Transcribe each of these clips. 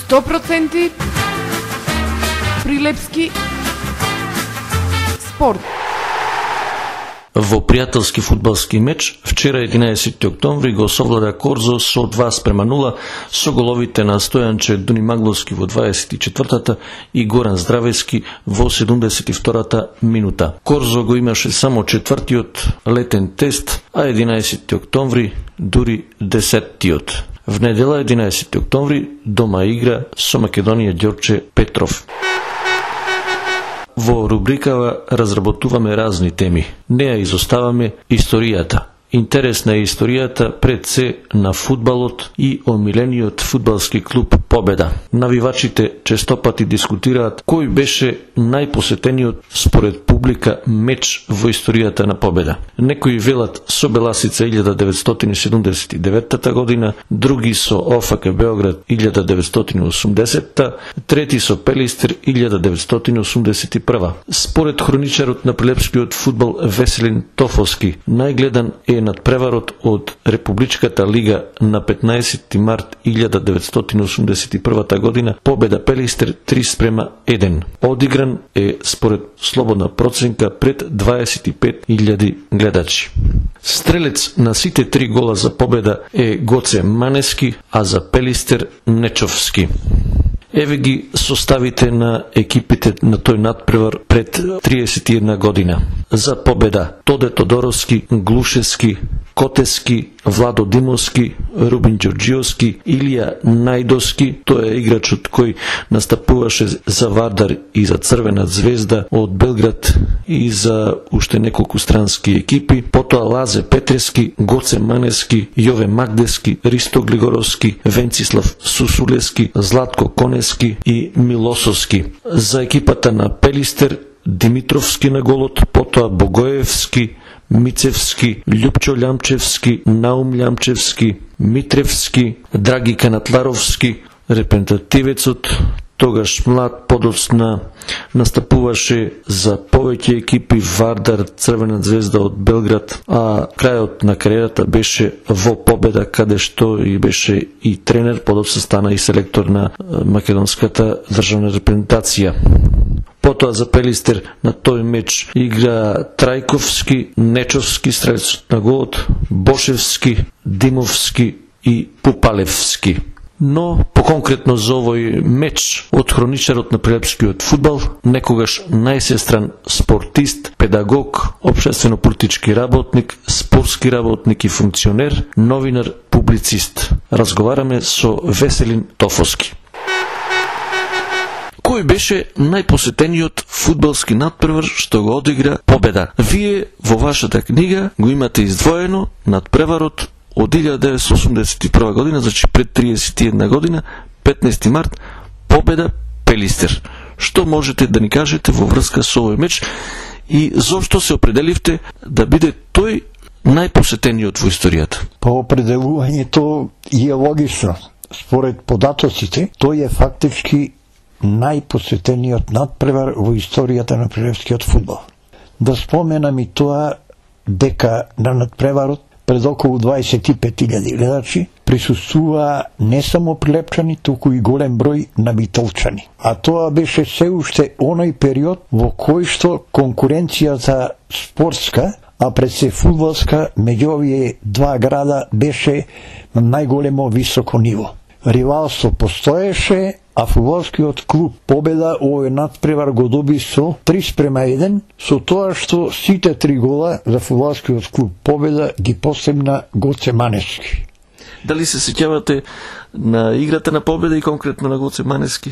100% Прилепски спорт. Во пријателски фудбалски меч вчера 11 октомври го совлада Корзо со 2:0 со головите на Стојанче Дунимагловски во 24-та и Горан Здравески во 72-та минута. Корзо го имаше само четвртиот летен тест, а 11 октомври дури 10-тиот. В недела 11 октомври дома игра со Македонија Ѓорче Петров. Во рубрикава разработуваме разни теми. Не ја изоставаме историјата. Интересна е историјата пред се на фудбалот и омилениот фудбалски клуб Победа. Навивачите честопати дискутираат кој беше најпосетениот според публика меч во историјата на Победа. Некои велат со Беласица 1979 година, други со ОФК Београд 1980, трети со Пелистер 1981. Според хроничарот на прилепскиот фудбал Веселин Тофовски, најгледан е надпреварот од Републичката лига на 15 март 1981 година, Победа Пелистер 3:1. Одигран е според слободна проценка пред 25.000 гледачи. Стрелец на сите 3 гола за Победа е Гоце Манески, а за Пелистер Нечовски. Еве ги составите на екипите на тој надпревар пред 31 година. За Победа Тоде Тодоровски, Глушевски, Котески, Владо Димовски, Рубин Ѓорџиовски, Илија Најдовски, тој е играчот кој настапуваше за Вардар и за Црвена звезда од Белград и за уште неколку странски екипи, потоа Лазе Петрески, Гоце Манески, Јове Магдески, Ристо Глигоровски, Венцислав Сусулески, Златко Конески и Милосовски. За екипата на Пелистер Димитровски на голот, потоа Богоевски, Мицевски, Љупчо Лјамчевски, Наум Лјамчевски, Митревски, Драги Канатларовски, репрезентативецот, тогаш млад, подоцна настапуваше за повеќе екипи Вардар, Црвена звезда од Белград, а крајот на кариерата беше во Победа, каде што и беше и тренер, подоцна стана и селектор на македонската државна репрезентација. Потоа за Пелистер на тој меч игра Трајковски, Нечовски, стрелецот на голот, Бошевски, Димовски и Пупалевски. Но поконкретно за овој меч од хроничарот на прилепскиот фудбал, некогаш најсестран спортист, педагог, општествено-политички работник, спортски работник и функционер, новинар, публицист. Разговараме со Веселин Тофовски. Кој беше најпосетениот фудбалски надпревар што го одигра Победа? Вие во вашата книга го имате издвоено надпреварот од 1981 година, значи пред 31 година, 15 март, Победа Пелистер. Што можете да ни кажете во врска со овој меч и зошто се определивте да биде тој најпосетениот во историјата? По определувањето е логично. Според податоците, тој е фактички најпосетениот надпревар во историјата на прилепскиот фудбал. Да споменам и тоа дека на надпреварот пред околу 25.000 гледачи присуствува не само прилепчани, туку и голем број на битолчани. А тоа беше се уште оној период во кој што конкуренцијата спортска, а пред се фудбалска, меѓу овие два града беше на најголемо високо ниво. Ривалство постоеше, а фудбалскиот клуб Победа овој надпревар го доби со 3:1, со тоа што сите 3 гола за фудбалскиот клуб Победа ги постигна Гоце Манески. Дали се сеќавате на играта на Победа и конкретно на Гоце Манески?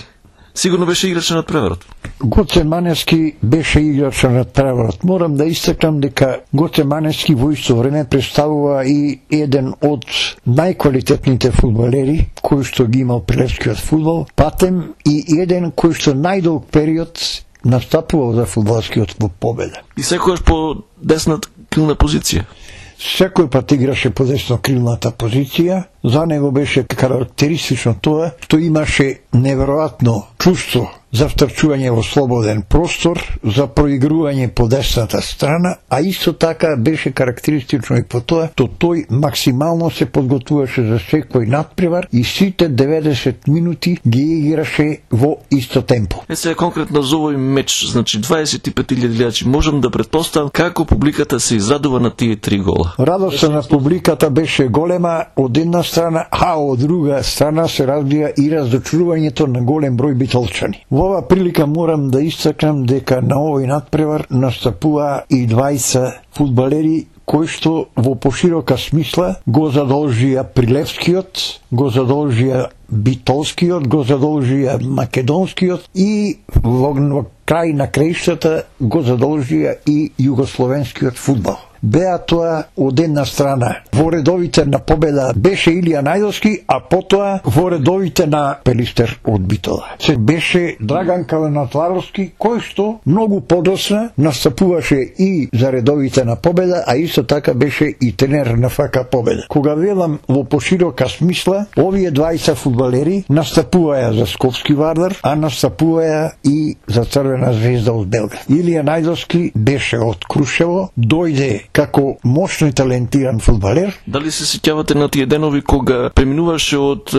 Сигурно беше играч на надпреварот. Гоце Манески беше играч на надпреварот. Морам да истакнам дека Гоце Манески во исто време представува и еден од најквалитетните фудбалери кој што ги имал прилепскиот фудбал, патем и еден кој што најдолг период настапувал за фудбалскиот клуб Победа. И секогаш по десната крилна позиција. Секој пат играше по десно крилната позиција За него беше карактеристично тоа што имаше неверојатно чувство за втрчување во слободен простор, за проигрување по десната страна, а исто така беше карактеристично и по тоа што тој максимално се подготвуваше за секој надпревар и сите 90 минути ги играше во исто темпо. Сега конкретно за овој меч, значи 25.000 гледачи, можам да претпоставам како публиката се израдува на тие 3 гола. Радоста на публиката беше голема од една страна, а од друга страна се развија и разочарувањето на голем број битолчани. Во ова прилика морам да истакнам дека на овој надпревар настапува и 20 фудбалери кои што во поширока смисла го задолжија Прилепскиот, го задолжија Битолскиот, го задолжија Македонскиот и во крај на краиштата го задолжија и Југословенскиот фудбал. Беа тоа од една страна во редовите на Победа беше Илија Најдовски, а потоа во редовите на Пелистер од Битола се беше Драган Каленатларовски, кој што многу подосна настапуваше и за редовите на Победа, а исто така беше и тренер на ФК Победа. Кога велам во поширока смисла, овие 20 фудбалери настапуваја за Скопски Вардар, а настапуваја и за Црвена звезда од Белград. Илија Најдовски беше од Крушево, дојде како мощно и талентиран фудбалер. Дали се сеќавате на тие денови кога преминуваше од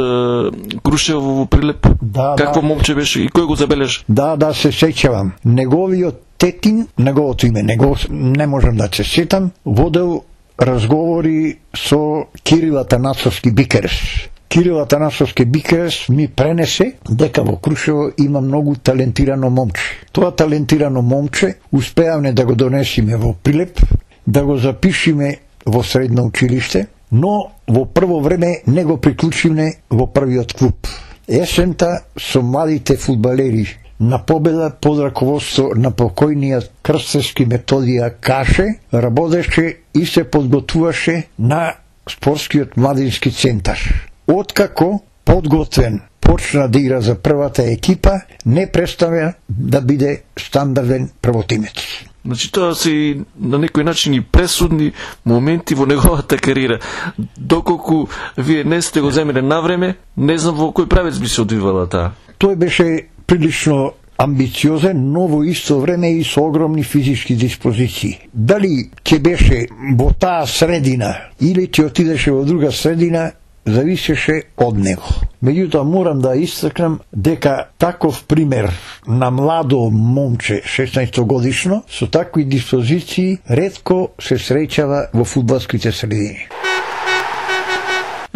Крушево во Прилеп? Да, Какво момче беше и кој го забележа? Да, се сеќавам. Неговиот тетин, неговото име, не можам да се сетам, водел разговори со Кирил Атанасовски Бикерес. Кирил Атанасовски Бикерес ми пренесе дека во Крушево има многу талентирано момче. Тоа талентирано момче успеавме да го донесиме во Прилеп, да го запишиме во средно училиште, но во прво време не го приклучиме во првиот клуб. Есента со младите фудбалери на Победа под раководство на покојниот крстевски Методија Каше работеше и се подготвуваше на спортскиот младински центар. Откако подготвен почна да игра за првата екипа, не представя да биде стандарден првотимец. Значи тоа се на некој начин и пресудни моменти во неговата кариера. Доколку вие не сте го земеле на време, не знам во кој правец би се одвивала таа. Тој беше прилично амбициозен, но во исто време и со огромни физички диспозиции. Дали ќе беше во таа средина или ќе отидеше во друга средина, зависеше од него. Меѓутоа морам да истакнам дека таков пример на младо момче 16 годишно со такви диспозиции ретко се среќава во фудбалските средини.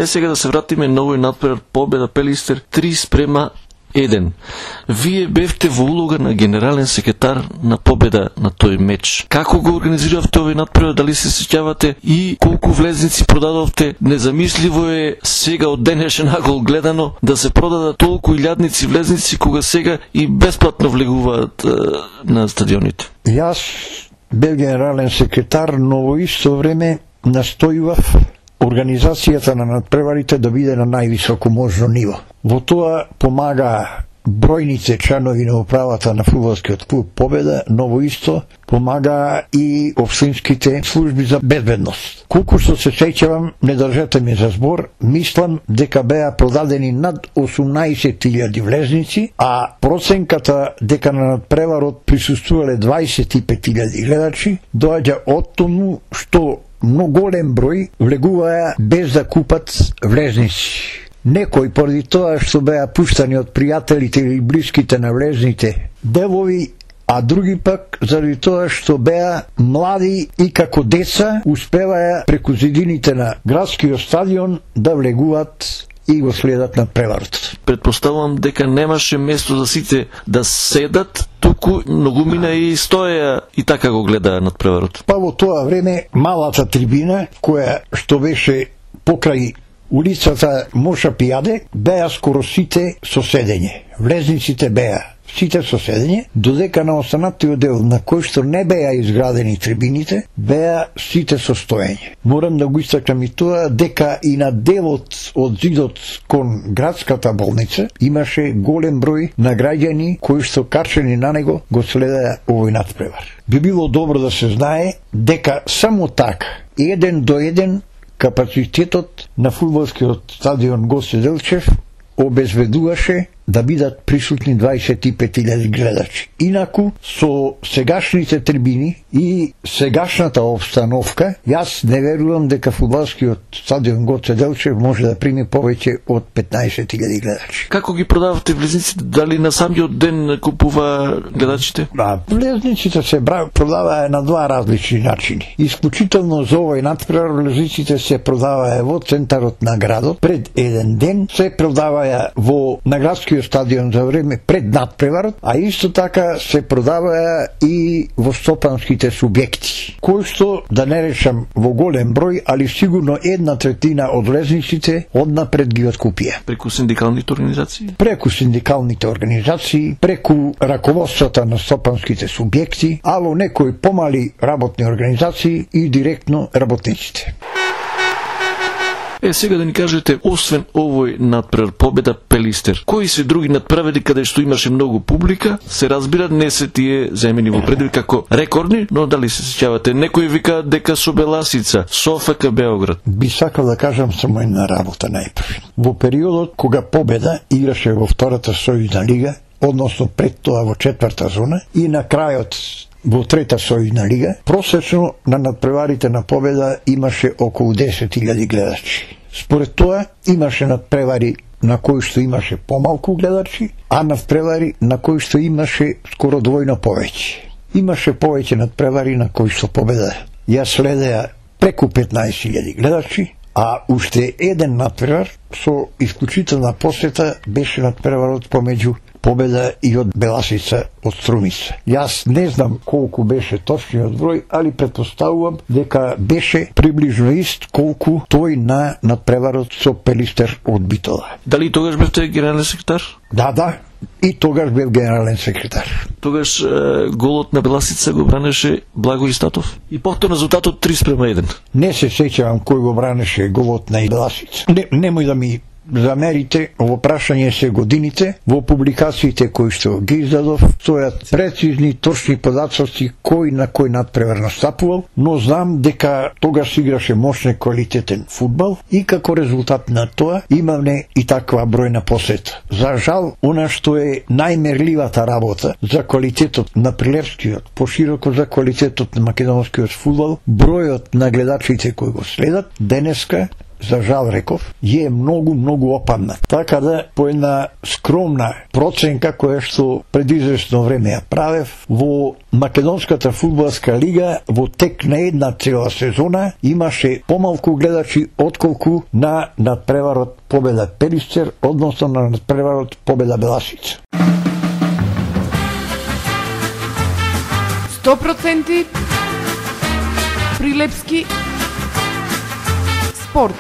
Сега да се вратиме на овој надпревар Победа Пелистер 3:1. Вие бевте во улога на генерален секретар на Победа на тој меч. Како го организиравте овој надпревар, дали се сеќавате и колку влезници продадовте? Незамисливо е сега од денешен агол гледано да се продадат толку илјадници влезници кога сега и бесплатно влегуваат на стадионите. Јас бев генерален секретар, но во исто време настојував организацијата на надпреварите да биде на највисоко можно ниво. Во тоа помага бројните членови на управата на фудбалскиот клуб Победа, но во исто помага и општинските служби за безбедност. Колку што се сеќавам, не држете ме за збор, мислам дека беа продадени над 18.000 влезници, а проценката дека на надпреварот присуствувале 25.000 гледачи доаѓа од тому што многу голем број влегуваја без да купат влезници. Некои поради тоа што беа пуштани од пријателите или блиските на влезните девови, а други пак заради тоа што беа млади и како деца успеваја преку зидините на градскиот стадион да влегуваат и го следат на преварот. Предпоставувам дека немаше место за сите да седат, туку многумина и стоеа и така го гледаа над преварот. Па во тоа време малата трибина, која што беше покрај улицата Моша Пијаде, беа скоро сите со седење. Влезниците беа сите со седење, додека на останатиот дел на кој што не беа изградени трибините, беа сите со стоење. Морам да го истакнам и тоа дека и на делот од зидот кон градската болница имаше голем број на граѓани кои што качени на него го следеа овој надпревар. Би било добро да се знае дека само така, еден до еден, капацитетот на фудбалскиот стадион Гоце Делчев обезбедуваше да бидат присутни 25.000 гледачи. Инаку, со сегашните трибини и сегашната обстановка, јас не верувам дека фудбалскиот стадион Гоце Делчев може да прими повеќе од 15.000 гледачи. Како ги продавате влезниците? Дали на самиот ден купува гледачите? Влезниците се продаваа на два различни начини. Исклучително за овој натпревар влезниците се продаваа во центарот на градот пред еден ден, се продаваа во на градскиот стадион за време пред надпреварот, а исто така се продаваа и во стопанските субјекти, кои што, да не речам во голем број, али сигурно 1/3 од влезниците однапред ги откупија. Преку синдикалните организации? Преку синдикалните организации, преку раководствата на стопанските субјекти, ало некои помали работни организации и директно работниците. Сега да ни кажете, освен овој надпревар Победа Пелистер, кои се други надпревари каде што имаше многу публика? Се разбира, не се тие земени во предвид како рекордни, но дали се сеќавате? Некои вика дека со Беласица, СОФК Београд. Би сакал да кажам само една работа најпрви. Во периодот кога Победа играше во втората сојузна лига, односно пред тоа во четврта зона, и на крајот во трета сојузна лига, просечно на надпреварите на Победа имаше околу 10.000 гледачи. Според тоа имаше надпревари на кои што имаше помалку гледачи, а надпревари на кои што имаше скоро двојно повеќе. Имаше повеќе надпревари на кои што Победа ја следеа преку 15.000 гледачи, а уште еден надпревар со исклучителна посета беше надпреварот помеѓу Победа и од Беласица од Струмица. Јас не знам колку беше точниот број, али претпоставувам дека беше приближно ист колку тој на надпреварот со Пелистер од Битола. Дали тогаш бевте генерален секретар? Да, и тогаш бев генерален секретар. Тогаш голот на Беласица го бранеше Благој Статов и повторно резултатот 3:1. Не се сеќавам кој го бранеше голот на Беласица. Немој да ми замерите, во прашање се годините, во публикациите кои што ги издадов, стојат прецизни, точни податоци кој на кој надпревар настапувал, но знам дека тогаш играше мощен квалитетен фудбал и како резултат на тоа имаме и таква бројна посета. За жал, она што е најмерливата работа за квалитетот на прилепскиот, пошироко за квалитетот на македонскиот фудбал, бројот на гледачите кои го следат, денеска за жал реков, е многу опадна. Така да, по една скромна проценка која што пред известно време ја правев, во Македонската фудбалска лига во тек на една цела сезона имаше помалку гледачи отколку на надпреварот Победа Пелистер, односно на надпреварот Победа Беласица. 100% прилепски спорт.